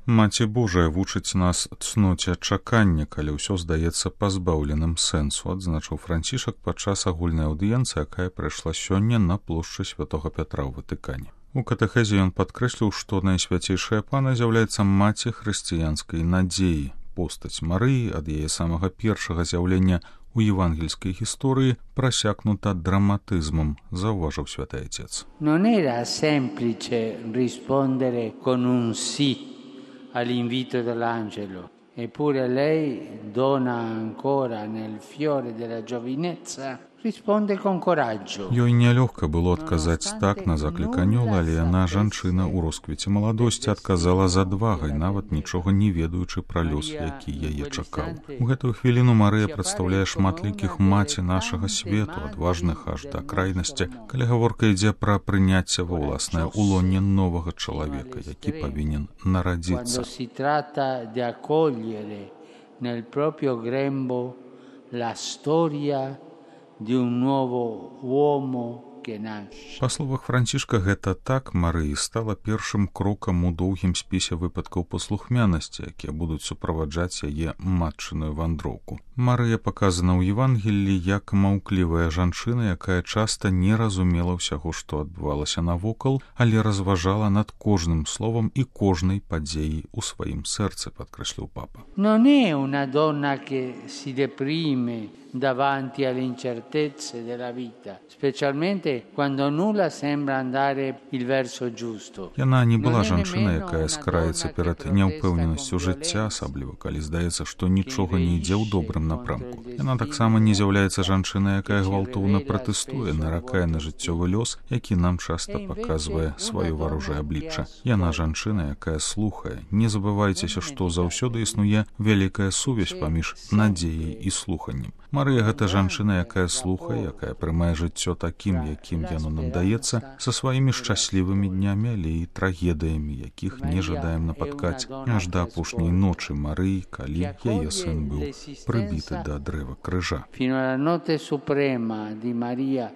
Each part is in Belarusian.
Маці Божая вучыць нас цноце чакання, калі ўсё здаецца пазбаўленым сэнсу, адзначыў Францішак падчас агульнай аўдыенцыі, якая прайшла сёння на плошчы Святога Пятра ў Ватыкане. У катэхезе ён падкрэсліў, што Найсвяцейшая Пана з'яўляецца маці хрысціянскай надзеі. Постаць Марыі ад яе самага першага з'яўлення у евангельскай гісторыі прасякнута драматызмам, заўважыў Святы Отец. Non era semplice rispondere con un sì all'invito dell'angelo, eppure lei, donna ancora nel fiore della giovinezza, risponde con coraggio. Ёй нялёгка было адказаць так на заклік анёла, але яна, жанчына ў росквіце маладосці, адказала з адвагай, нават нічога не ведаючы пра лёс, які яе чакаў. У гэтую хвіліну Марыя прадстаўляе шматлікіх маці нашага свету, адважных аж да крайнасці, калі гаворка ідзе пра прыняцце ва ўласнае ўлонне новага чалавека, які павінен нарадзіцца. Quando si tratta di accogliere nel proprio grembo la storia di un nuovo uomo che nasce. Па словах Францішка, гэта так Марыі стала першым крокам у доўгім спісе выпадкаў паслухмянасці, якія будуць суправаджаць яе матчыную вандроўку. Марыя паказана ў Евангеллі як маўклівая жанчына, якая часта не разумела ўсяго, што адбывалася навокал, але разважала над кожным словам і кожнай падзеяй у сваім сэрцы, падкрэсліў папа. Non è una donna che si deprime davanti alle incertezze della vita, specialmente quando nulla sembra andare il verso giusto. Яна не была жанчына, якая скараецца перад няўпэўненасцю жыцця, асабліва калі здаецца, што нічога не ідзе ў добрым напрамку. Яна таксама не з'яўляецца жанчынай, якая гвалтоўна пратэстуе, наракае на жыццёвы лёс, які нам часта паказвае сваё варожае аблічча. Яна жанчына, якая слухае. Не забывайцеся, што заўсёды існуе вялікая сувязь паміж надзеяй і слуханнем. Марыя гэта жанчына, якая слухае, якая прымае жыццё такім, якім яно нам даецца, са сваімі шчаслівымі днямі, але і трагедыямі, якіх не жадаем напаткаць аж да апошняй ночы Марыі, калі яе сын быў прыбіты да дрэва крыжа. Fino alla notte suprema di Maria,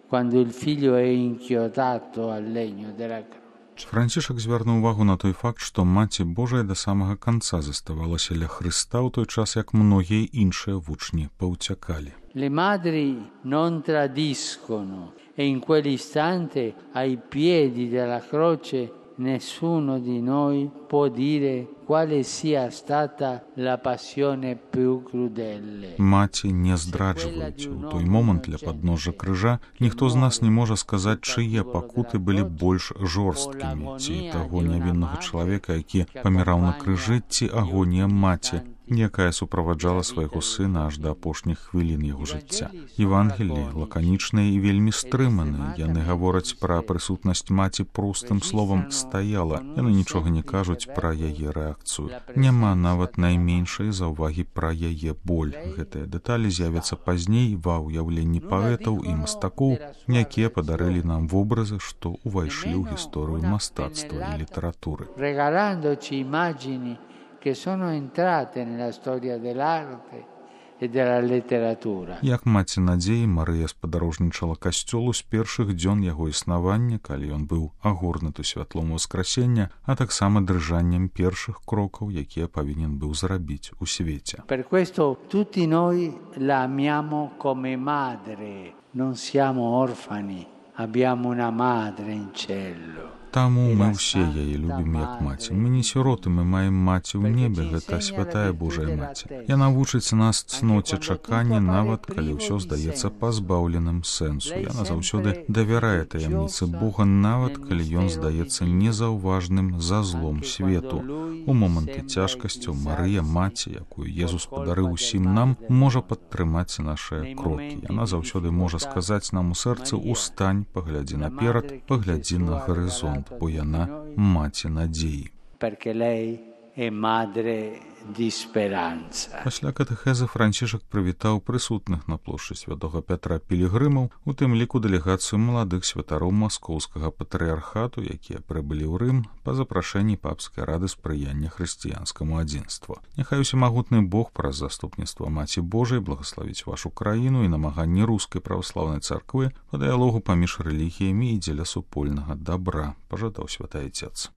quando il figlio è inchiodato al legno della croce. Францішак звярнуў увагу на той факт, што Маці Божая да самага канца заставалася ля Хрыста ў той час, як многія іншыя вучні паўцякалі. Le madri non tradiscono e in quell'istante ai piedi della croce nessuno di noi può dire quale sia stata la passione più crudele. Маці не здраджваюць. У той момант ля падножжа крыжа ніхто з нас не можа сказаць, чые пакуты былі больш жорсткімі, ці таго нявіннага чалавека, які паміраў на крыжы, ці агонія маці, якая суправаджала свайго сына аж да апошніх хвілін яго жыцця. Евангеллі лаканічныя і вельмі стрыманыя. Яны гавораць пра прысутнасць маці простым словам «стаяла». Яны нічога не кажуць пра яе рэакцыю. Няма нават найменшай заўвагі пра яе боль. Гэтыя дэталі з'явяцца пазней ва ўяўленні паэтаў і мастакоў, якія падарылі нам вобразы, што ўвайшлі ў гісторыю мастацтва і літаратуры. Regalandoci immagini che sono entrate nella storia dell'arte e della letteratura. Як маці надзеі, Марыя спадарожнічала касцёлу з першых дзён яго існавання, калі ён быў агорнуты святлом воскресення, а таксама дрыжаннем першых крокаў, якія павінен быў зрабіць у свеце. Per questo tutti noi la amiamo come madre, non siamo orfani, abbiamo una madre in cielo. Таму мы ўсе яе любім як маці. Мы не сіроты, мы маем маці ў небе, гэта святая Божая маці. Яна вучыць нас цноце чакання, нават калі ўсё здаецца пазбаўленым сэнсу. Яна заўсёды давярае таямніцы Бога, нават калі ён здаецца незаўважным за злом свету. У моманты цяжкасцяў Марыя, маці, якую Езус падарыў усім нам, можа падтрымаць нашыя крокі. Яна заўсёды можа сказаць нам у сэрцы: «Устань, паглядзі наперад, паглядзі на гарызонт», бо яна маці надзеі. Пасля катэхезы Францішак прывітаў прысутных на плошчы Святога Пятра пілігрымаў, у тым ліку дэлегацыю маладых святароў маскоўскага патрыярхату, якія прыбылі ў Рым па запрашэнні папскай рады спрыяння хрысціянскаму адзінству. Няхай усемагутны Бог праз заступніцтва Маці Божай благаславіць вашу краіну і намаганні рускай праваслаўнай царквы па дыялогу паміж рэлігіямі і дзеля супольнага дабра, пажадаў Святы Отец.